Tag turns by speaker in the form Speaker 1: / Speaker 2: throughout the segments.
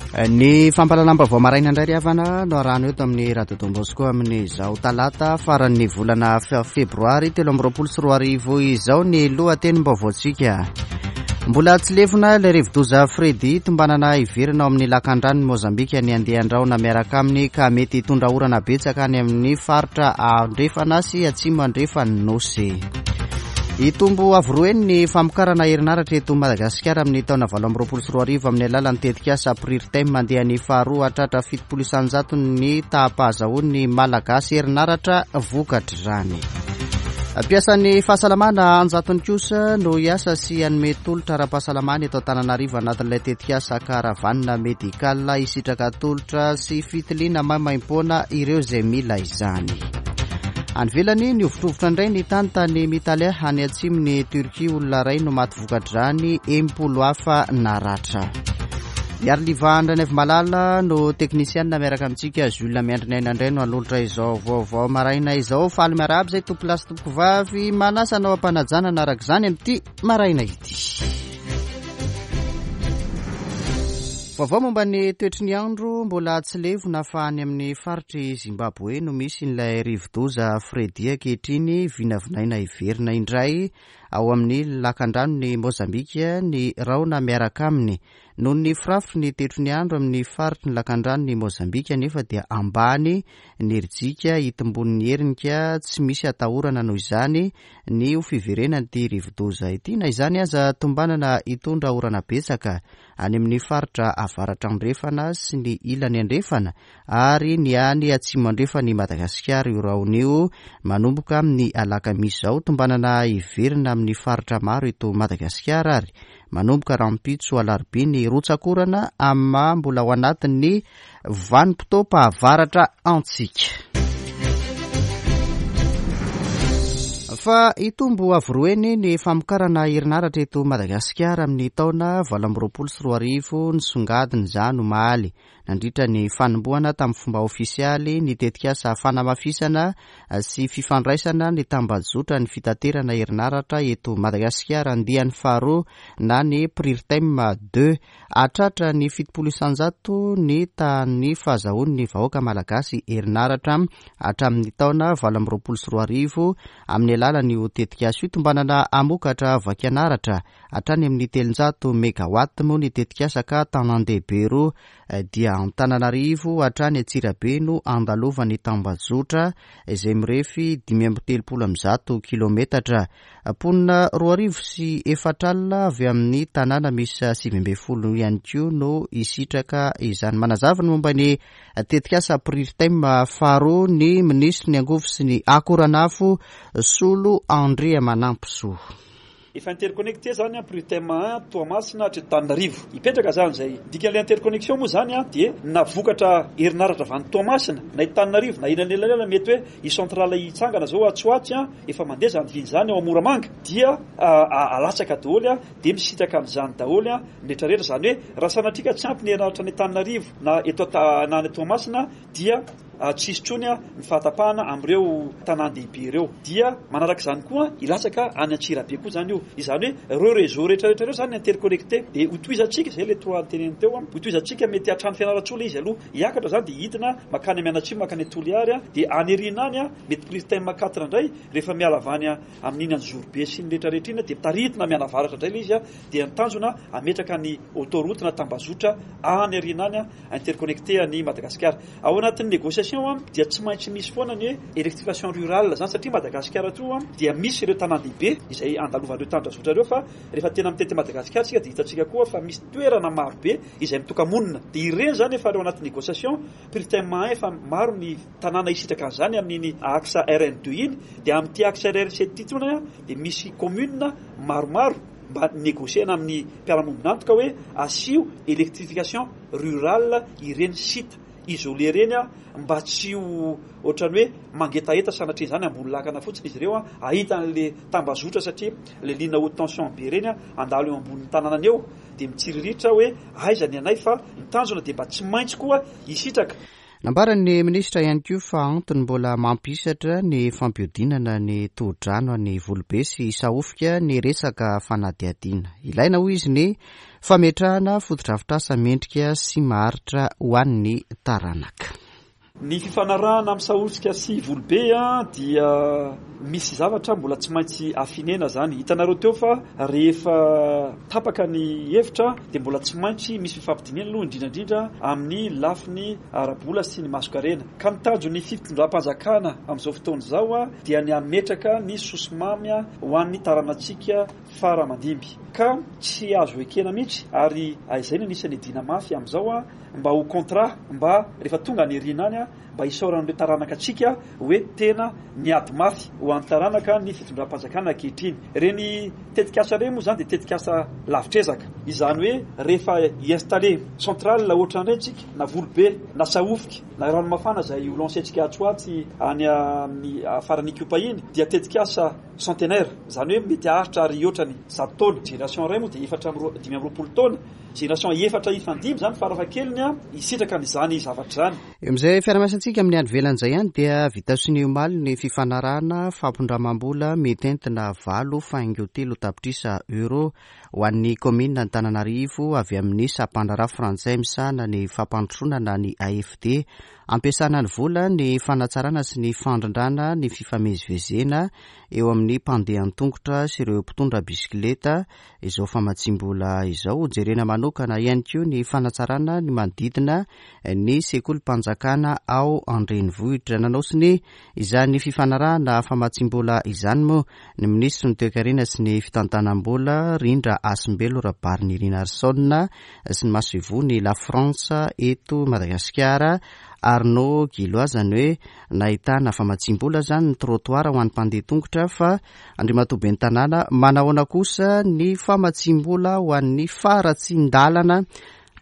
Speaker 1: Ny fampahalalam-baovao maraina indray ry havana no arahana eto amin'ny Radio Don Bosco amin'izao talata faran'ny volana febroary 2023 izao ny lohatenim-baovaontsika. Mbola tsy lefona ilay rivodoza Freddy tombanana hiverina ao amin'ny lakandranon'i Mozambika ny andian-drahona miaraka aminy ka mety hitondra orana betsaka any amin'ny faritra andrefana sy atsimo andrefan'ny Nosy. Hitombo avo roa heny ny famokarana herinaratra eto Madagasikara amin'ny taona 2028 amin'ny alalan'ny tetikasa Prirtem andiany faharoa hatratra 70 isan-jatony ny taham-pahazahoan'ny Malagasy herinaratra vokatr'izany. Mpiasan'ny fahasalamana anjatony kosa no hiasa sy hanome tolotra ara-pahasalamana eto Antananarivo anatin'ilay tetikasa Caravane Médicale hisitraka tolotra sy fitiliana maimaimpoana ireo izay mila izany. Any ivelany, nihovitrovitra indray ny tany tany Mitalia any atsimon'i Turquie, olona iray no maty vokatr'izany, 60 hafa naratra. Iariliva Andranaivomalala no teknisianina miaraka amintsika, Jules Miandriniaina indray no hanolotra izao vaovao maraina izao. Faly miarahaba izay tompolahy sy tompokovavy, manasa anao am-panajana araka izany amin'ity maraina ity. Vaovao momba ny toetry ny andro, mbola tsy levona fa any amin'ny faritr'i Zimbabwe no misy ilay rivodoza Freddy ankehitriny, vinavinaina hiverina indray ao amin'ny lakandranon'i Mozambika ny rahona miaraka aminy. Noho ny firafitry ny toetry ny andro amin'ny faritry ny lakandranon'i Mozambika anefa dia ambany ny herijika hitombon'ny herinika, tsy misy atahorana noho izany ny ho fiverenan'ity rivodoza ity. Na izany aza, tombanana hitondra orana betsaka any amin'ny faritra avaratra andrefana sy ny ilany andrefana ary ny any atsimo andrefan'i Madagasikara io rahona io manomboka amin'ny alakamisy izao. Tombanana hiverina amin'ny faritra maro eto Madagasikara ary manomboka rahampitso alarobia ny rotsak'orana amin'ny maha mbola ao anatin'ny vanim-potoam-pahavaratra antsika. Fa hitombo avo roa heny ny famokarana herinaratra eto Madagasikara amin'ny taona 2028, nisongadina izany omaly nandritra ny fanombohana tamin'ny fomba ofisialy ny tetikasa fanamafisana sy fifandraisana ny tambajotran'ny fitaterana herinaratra eto Madagasikara andiany faharoa na ny Prirtem deux. Hahatratra ny 70% ny tahan'ny fahazahoan'ny vahoaka malagasy herinaratra hatramin'ny taona 2028 amin'ny alalan'io tetikasa io. Tombanana hamokatra vakianaratra hatrany amin'ny 300 megawatt moa ny tetikasa ka tanàn-dehibe roa dia Antananarivo hatrany Antsirabe no andalovan'ny tambajotra izay mirefy 135 kilometatra. Mponina 4004 avy amin'ny tanàna miisa 19 ihany koa no hisitraka izany. Manazava ny momba ny tetikasa Prirtem faharoa ny minisitry ny angovo sy ny akoranafo Solo Andriamanampisoa.
Speaker 2: Efa interconnecté zany an Prirtem un Toamasina hatreto Antananarivo. Hipetraka zany izay. Ny dikan'ilay interconnexion moa zany an dia na vokatra herinaratra avy any Toamasina na eto Antananarivo na eny anelanelany mety hoe hisy centrale hitsangana zao atsy ho atsy an, efa mandeha zany vina izany ao Moramanga dia alatsaka daholo an, dia misitraka an'izany daholo an ny rehetra rehetra. Izany hoe raha sanatria ka tsy ampy ny herinaratra any Antananarivo na eto na any Toamasina dia tsy hisy intsony ny fahatapahana amin'ireo tanàn-dehibe ireo. Dia manaraka izany koa hilatsaka any Antsirabe koa izany io. Izany hoe ireo réseau rehetra rehetra ireo izany interconnecté. Dia hotohizantsika, izay ilay toa noteneniny teo, hotohizantsika mety hatrany Fianarantsoa ilay izy aloha. Hiakatra izany dia hidina mankany Mianatsimo, mankany Toliary, dia any aoriana any mety Prirtem quatre indray rehefa miala avy any amin'iny Anjozorobe sy ny rehetra rehetra iny dia taritina mianavaratra indray ilay izy dia ny tanjona hametraka ny autoroute na tambazotra any aoriana any interconnecté an'i Madagasikara. Ao anatin'ny négociation dia tsy maintsy misy foana ny hoe électrification rurale izany satria Madagasikara toa dia misy ireo tanàn-dehibe izay andalovan'ireo tandrazotra ireo fa rehefa tena mitety Madagasikara isika dia hitantsika koa fa misy toerana maro be izay mitoka-monina dia ireny izany efa ao anatin'ny négociation Prirtem un efa maro ny tanàna hisitraka an'izany amin'iny axe RN deux iny dia amin'ity axe RN sept ity tsony dia misy commune maromaro mba negocier-na amin'ny mpiara-miombon'antoka hoe asio électrification rurale ireny site isolé ireny mba tsy ho ohatran'ny hoe mangetaheta sanatria izany ambony lakana fotsiny izy ireo hahita an'le tambazotra satria le ligne haute tension be ireny handalo eo ambonin'ny tanànany eo dia mitsiriritra hoe aiza ny anay fa ny tanjona dia mba tsy maintsy koa hisitraka.
Speaker 1: Nambaran'ny minisitra ihany koa fa antony mbola mampihisatra ny fampihodinana ny tohodrano any Volobe sy Sahofika ny resaka fanadihadiana. Ilaina hoy izy ny fametrahana fotodrafitrasa mendrika sy maharitra ho an'ny taranaka.
Speaker 2: Ny fifanarahana amin'ny Sahosika sy Volobe dia misy zavatra mbola tsy maintsy affinena zany. Hitanareo teo fa rehefa tapaka ny hevitra dia mbola tsy maintsy misy fifampidinihana aloha indrindra indrindra amin'ny lafiny ara-bola sy ny masonkarena. Ka ny tanjon'ny fitondram-panjakana amin'izao fotoana izao dia ny hametraka ny sosomamy ho an'ny taranantsika fara aman-dimby. Ka tsy azo ekena mihitsy ary izay no anisan'ny iadiana mafy amin'izao mba ho contrat mba rehefa tonga any aoriana any mba hisaoran'ireo taranaka antsika hoe tena niady mafy ho an'ny taranaka ny fitondram-panjakana ankehitriny. Ireny tetikasa ireny moa izany dia tetikasa lavitr'ezaka. Izany hoe rehefa hi-installer centrale ohatran'ireny tsika na Volobe na Sahofika na Ranomafana izay ho lancer-tsika atsy ho atsy any amin'ny faran'Ikopa iny dia tetikasa centenaire, izany hoe mety haharitra ary hihoatra ny 100 taona. Génération iray moa dia efatra amby 25 taona. Génération efatra hifandimby izany farafahakeliny hisitraka an'izany zavatra izany.
Speaker 1: Eo amin'izay fiarahamiasantsika amin'ny any ivelany izay ihany dia vita sonia omaly ny fifanarahana fampindramam-bola mitentina valo faingo telo tapitrisa euro ho an'ny kaominina Antananarivo avy amin'ny sampandraharaha frantsay misahana ny fampandrosoana na ny AFD. Ampiasana ny vola ny fanatsarana sy ny fandrindrana ny fifamezivezena eo amin'ny mpandeha an-tongotra sy ireo mpitondra bisikileta izao famatsiam-bola izao. Hojerena manokana ihany koa ny fanatsarana ny manodidina ny sekolim-panjakana ao an-drenivohitra. Nanao sonia izany fifanarahana famatsiam-bola izany moa ny minisitry ny Toekarena sy ny fitantanam-bola, Rindra Hasimbelo Rabarinirinarison sy ny masoivohon'i La France eto Madagasikara, Arnaud Guillois, izany hoe nahitana famatsiam-bola izany ny trottoir ho an'ny mpandeha tongotra fa Andriamatoa Ben'ny Tanàna, manahoana kosa ny famatsiam-bola ho an'ny faharatsian-dalana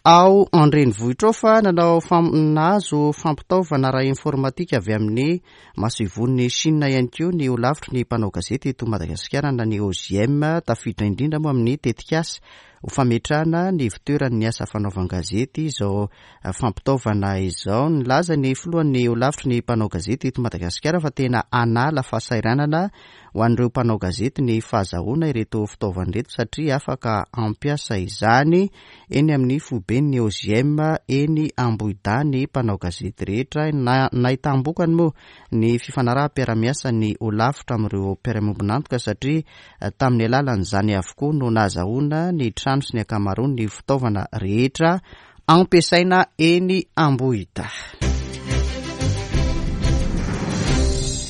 Speaker 1: ao an-drenivohitra ao fa nanao nahazo fampitaovana ara-informatika avy amin'ny masoivohon'i Chine ihany koa ny holafitry ny mpanao gazety eto Madagasikara na ny OJM, tafiditra indrindra moa amin'ny tetikasa ho fametrahana ny ivotoeran'ny asa fanaovan-gazety izao fampitaovana izao. Nilaza ny filohan'ny holafitry ny mpanao gazety eto Madagasikara fa tena hanala fahasahiranana ho an'ireo mpanao gazety ny fahazahoana ireto fitaovana ireto satria afaka hampiasa izany eny amin'ny foiben'ny OJM eny Ambohidahy ny mpanao gazety rehetra. Nahitam-bokany moa ny fifanaraham-piarahamiasan'ny holafitra amin'ireo mpiara-miombon'antoka satria tamin'ny alalan'izany avokoa no nahazahoana ny trano sy ny ankamaroan'ny fitaovana rehetra ampiasaina eny Ambohidahy.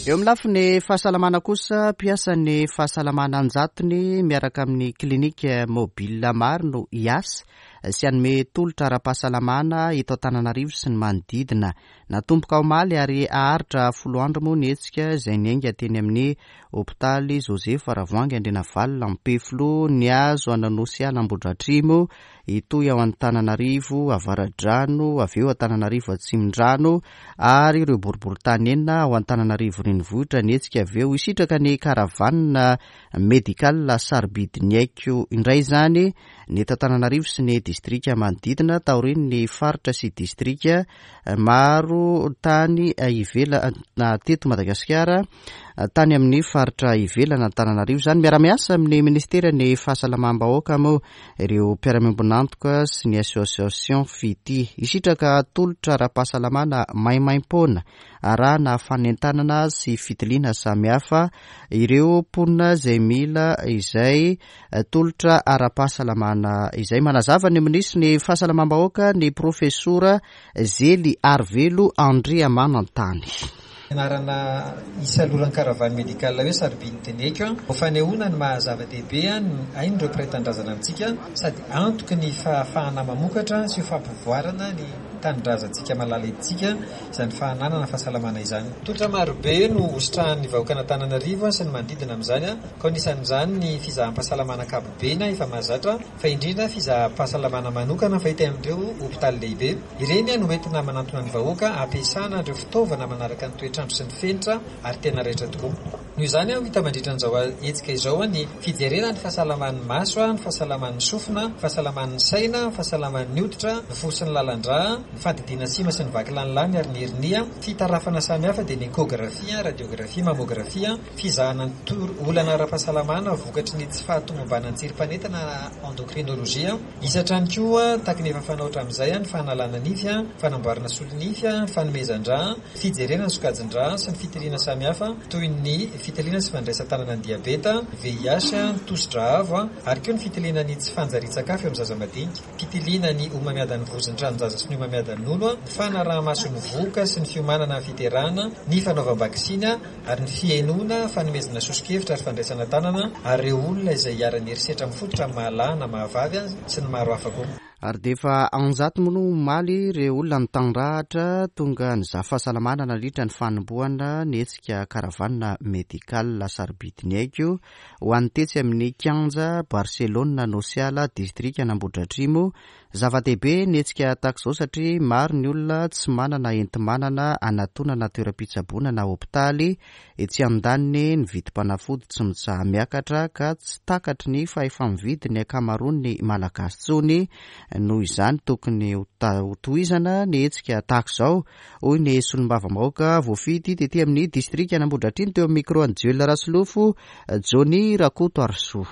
Speaker 1: Eo amin'ny lafiny fahasalamana kosa, mpiasan'ny fahasalamana an-jatony miaraka amin'ny clinique mobile maro no hiasa sy hanome tolotra ara-pahasalamana eto Antananarivo sy ny manodidina. Natomboka omaly ary haharitra folo andro moa ny hetsika izay niainga teny amin'ny Hopitaly Joseph Ravoahangy Andrianavalona Ampefiloha nihazo an'Anosiala Ambohidratrimo, hitohy ao Antananarivo Avaradrano, avy eo Antananarivo Atsimondrano ary ireo boriborintany enina ao Antananarivo Renivohitra ny hetsika avy eo. Hisitraka ny caravane médicale sarobidy ny aiko indray izany ny eto Antananarivo sy ny distrika manodidina taorian'ny faritra sy distrika maro tany ivelana teto Madagasikara tany amin'ny faritra ivelan'Antananarivo izany. Miara-miasa amin'ny ministeran'ny fahasalamam-bahoaka moa ireo mpiara-miombon'antoka sy ny association Fitia. Hisitraka tolotra ara-pahasalamana maimaimpoana arahana fanentanana sy fitiliana samihafa ireo mponina izay mila izay tolotra ara-pahasalamana izay. Manazava ny minisitry ny fahasalamam-bahoaka ny profesora Zely Arivelo Andriamanantany.
Speaker 3: Anarana isaloran'ny caravane médicale hoe sarobidy teneko ho fanehoana ny maha zava-dehibe ny ain'ireo mpiray tanindrazana amintsika sady antoky ny fahafahana mamokatra sy ho fampivoarana ny tanindrazantsika malala etintsika izany fahananana fahasalamana izany. Tolotra marobe no hositrahan'ny vahoakan'Antananarivo sy ny manodidina amin'izany ka anisan'izany ny fizaham-pahasalamana ankapobeny efa mahazatra fa indrindra fizaham-pahasalamana manokana fahita amin'ireo hopitaly lehibe. Ireny no entina manantona ny vahoaka hampiasana ireo fitaovana manaraka ny toetr'andro sy ny fenitra ary tena raitra tokoa. Noho izany, ho hita mandritra an'izao hetsika izao ny fijerena ny fahasalaman'ny maso, ny fahasalaman'ny sofina, ny fahasalaman'ny saina, ny fahasalaman'ny hoditra, ny fo sy ny lalan-drà, ny fandidiana sima sy ny vakilanilany ary ny hernia, fitarafana samihafa dia ny échographie, radiographie, mammographie, fizahana ny tor olana ara-pahasalamana vokatry ny tsy fahatomombanan'ny tsirim-panetana na endocrinologie. Hisy hatrany koa, tahaka ny efa fanao hatramin'izay, ny fanalana nify, fanamboarana solonify, fanomezan-drà, Fijerena ny sokajin-drà sy ny fitiliana samihafa toy ny fitiliana sy fandraisan-tanana ny diabeta, VIH, ny tosi-drà avo ary koa ny fitiliana ny tsy fanjarian-tsakafo eo amin'ny zaza madinika, fitiliana ny homamiadan'ny vozon'ny tranon-jaza sy ny homamiadan'ny nono, ny fanaraha-maso ny vohoka sy ny fiomanana amin'ny fiterahana, ny fanaovam-baksiny ary ny fihainoana, fanomezana soso-kevitra ary fandraisana tanana ary ireo olona izay iharan'ny herisetra mifototra amin'ny maha-lahy na maha-vavy sy ny maro hafa koa.
Speaker 1: Ary dia efa anjatony moa omaly ireo olona nitandrahatra tonga nizaha fahasalamana nandritra ny fanombohana ny hetsika Caravane Médicale Sarobidy ny Aiko ho an'ny tetsy amin'ny kianja Barcelone Nosiala distrikan'Ambohidratrimo. Zava-dehibe ny hetsika tahaka izao satria maro ny olona tsy manana enti-manana hanatonana toeram-pitsaboana na hopitaly Etsy andaniny, ny vidim-panafody tsy mitsaha-miakatra ka tsy takatry ny fahefa-mividy ny ankamaroan'ny Malagasy intsony. Noho izany, tokony hotohizana ny hetsika tahaka izao, hoy ny solombavambahoaka voafidy tety amin'ny distrikan'Ambohidratrimo teo amin'ny micro an'i Joel Rasolofo, Johnny Rakotoarisoa.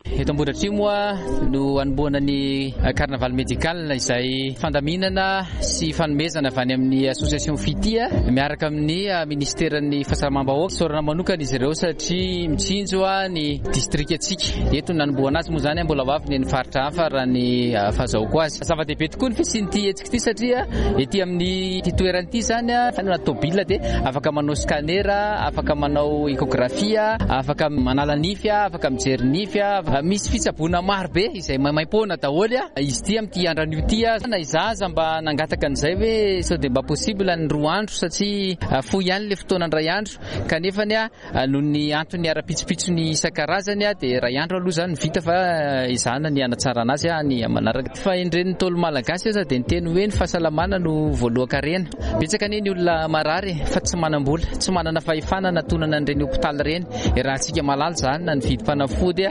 Speaker 4: Eto Ambohidratrimo moa no hanombohana ny carnaval médical izay fandaminana sy fanomezana avy any amin'ny association Fitia miaraka amin'ny ministeran'ny fahasalamam-bahoaka. Isaorana manokana izy ireo satria mitsinjo ny distrikantsika. Eto no nanombohana azy moa izany, mbola ho avy ny any faritra hafa raha ny fahazahoako azy. Zava-dehibe tokoa ny fisian'ity hetsika ity satria ety amin'ity toerana ity izany na tôbila dia afaka manao scanner, afaka manao échographie, afaka manala nify, afaka mijery nify, misy fitsaboana maro be izay maimaimpoana daholo izy ity amin'ity andro anio ity. Na izaho aza mba nangataka an'izay hoe sao dia mba possible ny 2 andro satria fohy ihany ilay fotoana indray andro kanefa Noho ny antony ara-pitsopitsony isan-karazany dia iray andro aloha izany no vita fa ezahana ny hanatsarana azy any amin'ny manaraka. Fahendren'ny Ntaolo Malagasy aza dia niteny hoe ny fahasalamana no voalohan-karena. Betsaka anie ny olona marary fa tsy manam-bola, tsy manana fahefana hanatonana an'ireny hopitaly ireny. Iarahantsika mahalala izany na ny vidim-panafody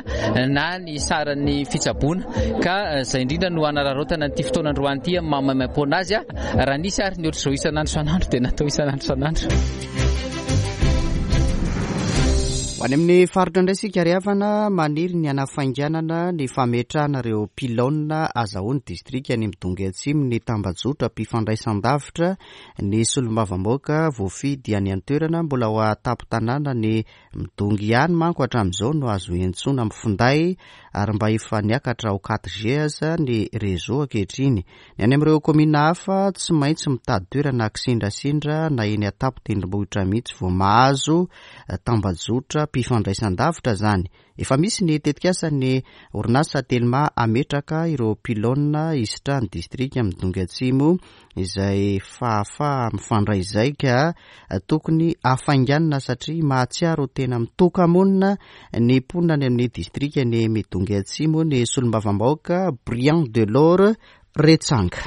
Speaker 4: na ny saran'ny fitsaboana ka izay indrindra no hanararaotana an'ity fotoana androany ity amin'ny maha maimaimpoana azy. Raha nisy ary ny ohatr'izao isan'andro isan'andro dia natao isan'andro isan'andro.
Speaker 1: Ho any amin'ny faritra indray isika ry havana, maniry ny hanafainganana ny fametrahana ireo pylône azahoan'ny distrikan'i Midongy Atsimo ny tambajotram-pifandraisan-davitra ny solombavambahoaka voafidy any an-toerana. Mbola ao an-tampon-tanàna ny Midongy ihany manko hatramin'izao no azo iantsoana amin'ny finday ary mba efa niakatra ao 4G aza ny réseau ankehitriny. Ny any amin'ireo kaominina hafa, tsy maintsy mitady toerana kisendrasendra na eny an-tampon-tendrombohitra mihitsy vao mahazo tambajotram-pifandraisan-davitra izany. Efa misy ny tetikasan'ny orinasa Telma hametraka ireo pylône hisitrahan'ny distrika Midongy Atsimo izay fahafaha-mifandray izay ka tokony hafainganina satria mahatsiaro ho tena mitoka-monina ny mponina any amin'ny distrikan'i Midongy Atsimo ny solombavambahoaka Briand Delors Retsanga.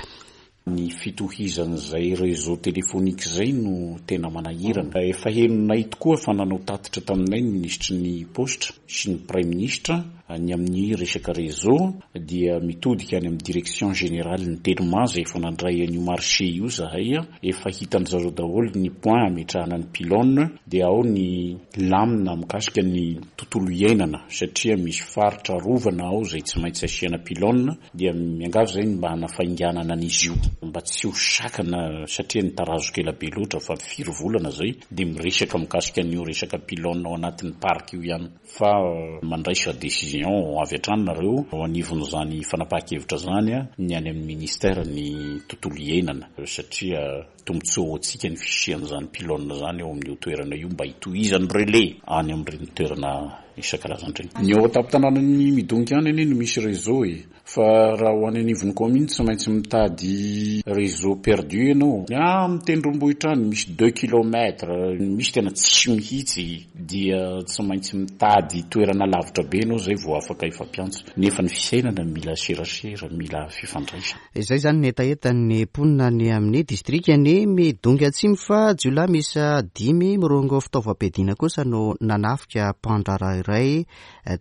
Speaker 5: Ny fitohizan'izay réseau téléphonique izay no tena manahirana. Efa henonay tokoa fa nanao tatitra taminay ny minisitry ny paositra sy ny praiminisitra ny amin'ny resaka réseau dia mitodika any amin'ny direction générale ny Telma izay efa nandray an'io marché io zahay, efa hitan-dry zareo daholo ny point hametrahana ny pylone dia ao ny lamina mikasika ny tontolo iainana satria misy faritra arovana ao izay tsy maintsy asiana pylone dia miangavy izay ny mba hanafainganana an'izy io mba tsy ho sakana satria nitarazoka ela be loatra fa firy volana izay dia miresaka mikasika an'io resaka pylone ao anatin'ny parc io ihany. Fa mandraisa décision avy hatrany nareo ao anivon'izany fanapahan-kevitra izany ny any amin'ny ministère ny tontolo iainana satria tombotsoa ho antsika ny fisian'izany pylône izany eo amin'io toerana io mba hitohizan'ny relais any amin'ireny toerana isan-karazany ireny. Ny ao an-tampon-tanànan'i Midongy ihany anie no misy réseau e! Fa raha ho any anivon'ny commune tsy maintsy mitady réseau perdu ianao. Any amin'ny tendrombohitra any misy deux kilomètres, misy tena tsisy mihitsy dia tsy maintsy mitady toerana lavitra be ianao izay vao afaka hifampiantso. Nefa ny fiainana mila serasera, mila fifandraisana.
Speaker 1: Izay izany ny hetahetan'ny mponina any amin'ny distrikan'i Midongy Atsimo fa jiolahy miisa dimy mirongo fitaovam-piadiana kosa no nanafika mpandraharaha iray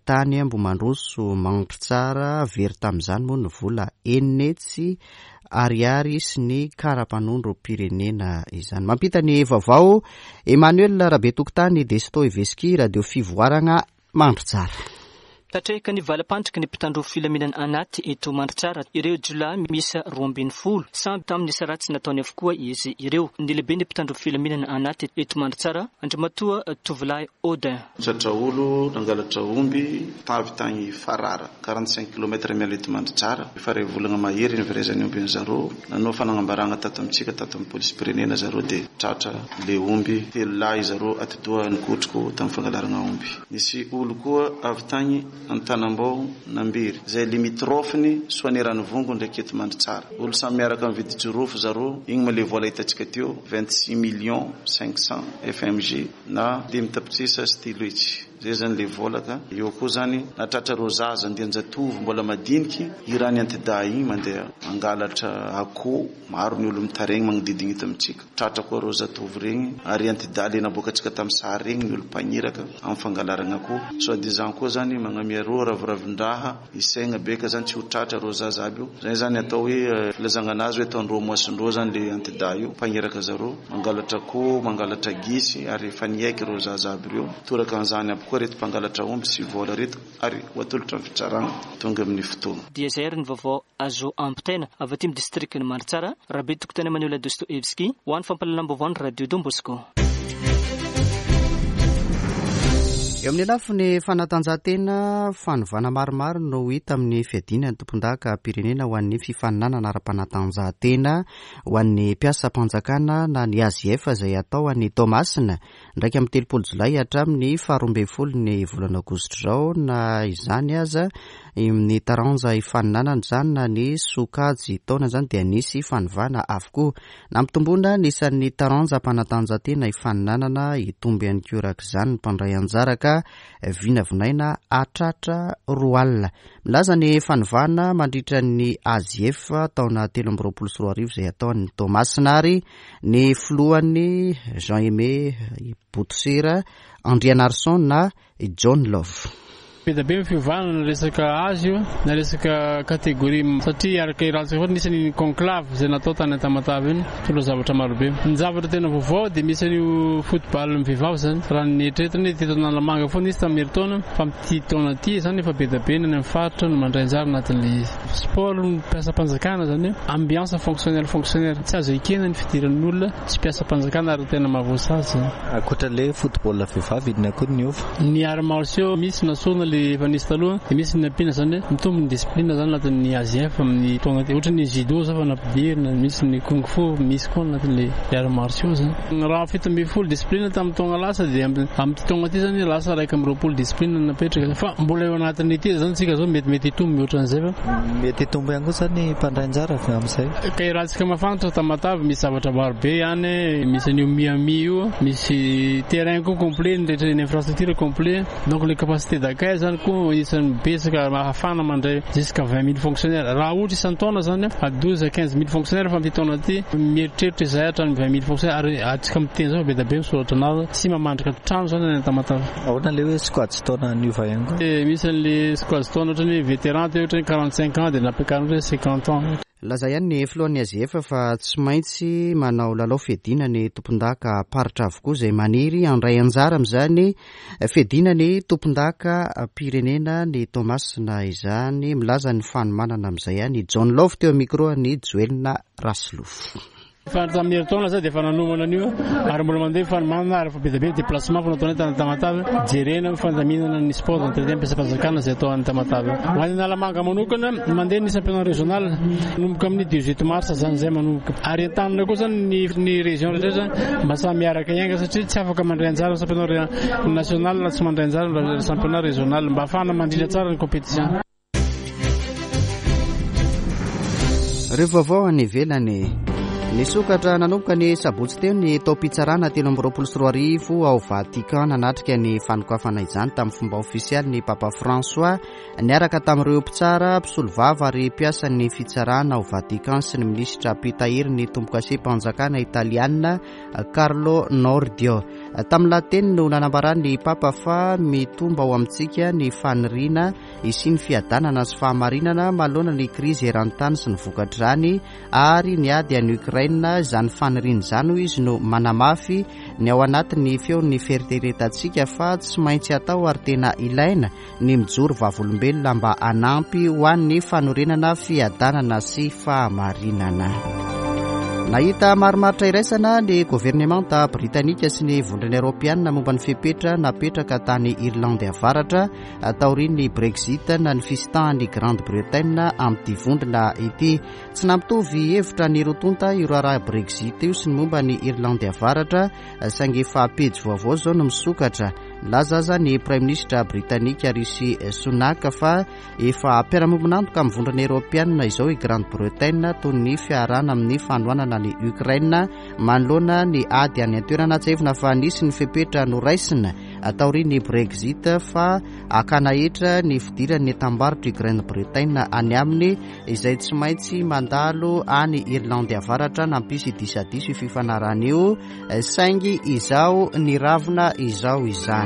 Speaker 1: Tany Ambohimandroso Mandritsara, very tamin'izany moa ny vola 600 ariary sy ny kara-panondrom-pirenena izany. Mampita ny vaovao Emmanuel Rabetokotany, Desto Eveski, Radio Fivoaragna, Mandritsara.
Speaker 6: Tatrehika ny valam-pandriky ny mpitandro filaminana anaty eto Mandritsara ireo jiolahy miisa 12. Samy tamin'ny asa ratsy nataony avokoa izy ireo. Ny lehiben'ny mpitandro filaminana anaty eto Mandritsara, Andriamatoa Tovolahy Odin.
Speaker 7: Tratra olo nangalatra omby tavy tagny Farara, 45 kilomètre miala eto Mandritsara. Efa ray volagna mahery niverezan'ny omby an'zareo. Nanao fagnambaragna tato amintsika tato amin'ny polisim-pirenena zareo dia tratra le omby. Telo lahy zareo atidoha nikotroko tamin'ny fangalaragna omby. Nisy olo koa avy tagny Antanambao Nambiry, zay limitrophe-ny Soanieranivongo ndraiky eto Mandritsara. Olo samy miaraka mividy jirofo zareo, igny ma le vola hitantsika teo, 26 millions 500 FMG. Na dimy tapitrisa sy telo hetsy. Zay zany le vola ka. Eo koa zany nahatratra reo zaza andian-jatovo mbola madiniky irany antidahy igny mandeha mangalatra akoho. Maro ny olo mitaregny magnodidigny eto amintsika. Tratra koa reo zatovo regny ary antidahy le naboakatsika tamy sary regny ny olo mpagniraka amy fangalaragna akoho. Soit disant koa zany magnamia reo raviravin-draha Isaigna be ka zany tsy ho tratra reo zaza aby io. Zay zany atao hoe filazagna anazy hoe ataondreo moisindreo zany le antidahy io, mpagniraka zareo, mangalatra akoho, mangalatra gisy ary efa niaiky reo zaza aby reo. Toraka an'izany aby koa reto mpangalatra omby sy vola reto ary ho atolotra ny fitsaragna tonga amin'ny fotoagna.
Speaker 6: Dia izay ary ny vaovao azo ampitaina avy aty amin'ny distrikan'i Mandritsara, Rabetokotany Emmanuel Dostoevsky, ho an'ny fampahalalam-baovaon'ny Radio Don Bosco.
Speaker 1: Eo amin'ny lafiny fanatanjahantena, fanovana maromaro no hita amin'ny fiadiana ny tompondakam-pirenena ho an'ny fifaninanana ara-panatanjahantena ho an'ny mpiasam-panjakana na ny AJF izay hatao any Toamasina ny 31 jolay hatramin'ny faharoambinifolo ny volana aogositra izao. Na izany aza, ny taranja ifaninanana izany na ny sokajy taona izany dia nisy fanovana avokoa. Nampitomboina ny isan'ny taranjam-panatanjahantena hifaninanana, hitombo ihany koa araka izany ny mpandray anjara ka vinavinaina hahatratra 20. Milaza ny fanovana mandritra ny AJF taona 2023 izay hatao any Toamasina ary ny filohany Jean Aimé Botosera Andrianarison na I John Love.
Speaker 8: Be dia be ny fiovana na resaka âge io na resaka catégorie satria araka iarahantsika foana nisy an'iny conclave izay natao tany Tamatave iny nitondra zavatra marobe. Ny zavatra tena vaovao dia misy an'io football ny vehivavy izany raha ny eritreretina hoe teto Analamanga foana izy tamin'ny herintaona fa amin'ity taona ity izany efa be dia be ny any amin'ny faritra no mandray anjara anatin'ilay izy. Sport ny mpiasam-panjakana izany hoe ambiance fonctionnaire fonctionnaire tsy azo ekena ny fidiran'ny olona Tsy mpiasam-panjakana ary tena mahavoasazy zany.
Speaker 9: Ankoatra le football vehivavy inona koa no niova?
Speaker 8: Ny arts martiaux misy nasorina le efa nisy taloha dia misy ny nampiana zany hoe mitombo ny discipline zany anatin'ny AJF amin'ny taona ity. Ohatra ny judo zao fa nampidirina, misy ny kung fu misy koa anatin'le arts martiaux zany. Raha 17 discipline tamin'ny taona lasa dia amin'ity taona ity zany lasa 21 discipline no napetraka fa mbola eo anatin'ity zany tsika zao mety mety hitombo mihoatra an'izay fa.
Speaker 9: Mety hitombo ihany koa zany ny mpandray anjara avy amin'izay.
Speaker 8: Ka iarahantsika mahafantatra Tamatave misy zavatra maro be any, misy an'io Miami io, misy terrain koa complet, ny rehetra ny infrastructure complet, donc le capacité d'accueil zany koa isan'ny betsaka ahafahana mandray jusqu'à 20 000 fonctionnaires. Raha ohatra isan-taona zany à 12 à 15 000 fonctionnaires fa amin'ity taona ity mieritreritra izahay hatramin'ny 20 000 fonctionnaires ary antsika miteny zao fa be dia be misoratra anarana, tsy mamandrika trano zany any Tamatave.
Speaker 9: Ahoana le hoe sokajin-taona niova ihany koa?
Speaker 8: Misy an'le sokajin-taona ohatran'ny hoe vétéran teo ohatra hoe 45 ans dia nampiakarina ohatra hoe 50 ans.
Speaker 1: Nilaza ihany ny filohan'ny AJF fa tsy maintsy manao lalao fiadiana ny tompondakam-paritra avokoa izay maniry handray anjara amin'izany fiadiana ny tompondakam-pirenena ny Toamasina izany. Milaza ny fanomanana amin'izay ihany i John Love teo amin'ny micro an'i Joelina Rasolofo.
Speaker 8: Efa tamin'ny herintaona zay dia efa nanomana an'io ary mbola mandeha ny fanomanana ary efa be dia be ny déplacement efa nataonay tany Tamatave jerena ny fandaminana ny sport d'entretien mpiasam-panjakana izay atao any Tamatave. Ho an'ny Analamanga manokana mandeha ny championnat régional manomboka amin'ny 18 mars zany izay manomboka ary entanina koa zany ny ny région rehetra mba samy miaraka hiainga satria tsy afaka mandray anjara amin'ny championnat national raha tsy mandray anjara amin'ny championnat régional mba ahafahana mandrindra tsara ny compétition.
Speaker 1: Ireo vaovao any ivelany. Nisokatra nanomboka ny sabotsy teo ny taom-pitsarana 2023 ao Vatican. Nanatrika ny fanokafana izany tamin'ny fomba ofisialy ny Papa François niaraka tamin'ireo mpitsara, mpisolovava ary mpiasan'ny fitsarana ao Vatican sy ny minisitra mpitahiry ny tombokasem-panjakana italiana Carlo Nordio. Tamin'ny lahateny no nanambaran'ny Papa fa mitombo ao amintsika ny faniriana hisian'ny fiadanana sy fahamarinana manoloana ny krizy eran-tany sy ny vokatr'izany ary ny ady any Ukraine. Izany faniriana izany, hoy izy, no manamafy ny ao anatin'ny feon'ny fieritreretantsika fa tsy maintsy atao ary tena ilaina ny mijoro vavolombelona mba hanampy ho an'ny fanorenana fiadanana sy fahamarinana. Nahita marimaritra iraisana ny governemanta britanika sy ny Vondrona Eoropeanina momba ny fepetra napetraka tany Irlandy Avaratra taorian'ny Brexit na ny fisintahan'i Grande-Bretagne amin'ity vondrona ity. Tsy nampitovy hevitra ny roa tonta io raharaha Brexit io sy ny momba an'i Irlandy Avaratra, saingy efa pejy vaovao izao no misokatra. Nilaza aza ny Praiminisitra Britanika Rishi Sunak fa efa mpiara-miombon'antoka amin'ny Vondrona Eoropeanina izao i Grande-Bretagne toy ny fiarahana amin'ny fanohanana an'i Ukraine manoloana ny ady any an-toerana. Tsiahivina fa nisy ny fepetra noraisina taorian'ny Brexit fa hakana hetra ny fidiran'ny entam-barotr'i Grande-Bretagne any aminy izay tsy maintsy mandalo any Irlandy Avaratra. Nampisy disadisa io fifanarahana io saingy izao niravona izao izany.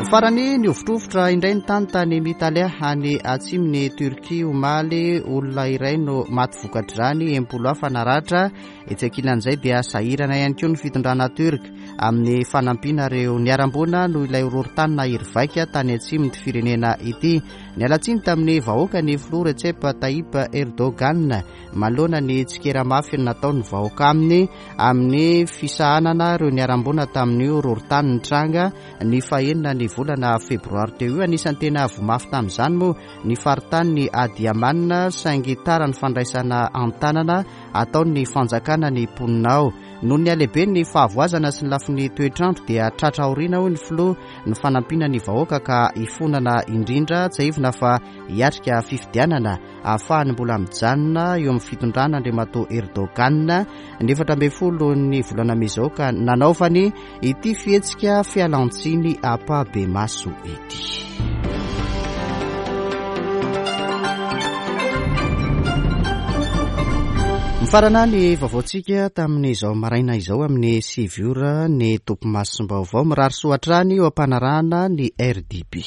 Speaker 1: Farany, nihovitrovitra indray ny tany tany Mitalia any atsimon'i Turquie omaly. Olona iray no maty vokatr'izany, 60 hafa naratra. Etsy ankilan'izay dia sahirana ihany koa ny fitondrana Turk amin'ny fanampiana ireo niharam-boina noho ilay horohorontany nahery vaika tany atsimon'ity firenena ity. Niala tsiny tamin'ny vahoaka ny filoha Recep Tayyip Erdogan manoloana ny tsikera mafy nataon'ny vahoaka aminy amin'ny fisahanana ireo niharam-boina tamin'io horohorontany nitranga ny fahenina ny volana febroary teo io. Anisan'ny tena voa mafy tamin'izany moa ny faritanin'i Adiyaman saingy tara ny fandraisana an-tanana ataon'ny fanjakana ny mponina ao. Noho ny halehiben'ny fahavoazana sy ny lafiny toetr'andro dia tratra aoriana hoy ny filoha ny fanampiana ny vahoaka ka hifonana indrindra. Tsiahivina fa hiatrika fifidianana ahafahany mbola mijanona eo amin'ny fitondrana Andriamatoa Erdogan ny 14 ny volana mey izao ka nanaovany ity fihetsika fialantsiny ampahibemaso ity. Mifarana ny vaovaontsika tamin'izao maraina izao amin'ny 9 ora ny topimasom-baovao. Mirary soa hatrany eo am-panarahana ny RDB.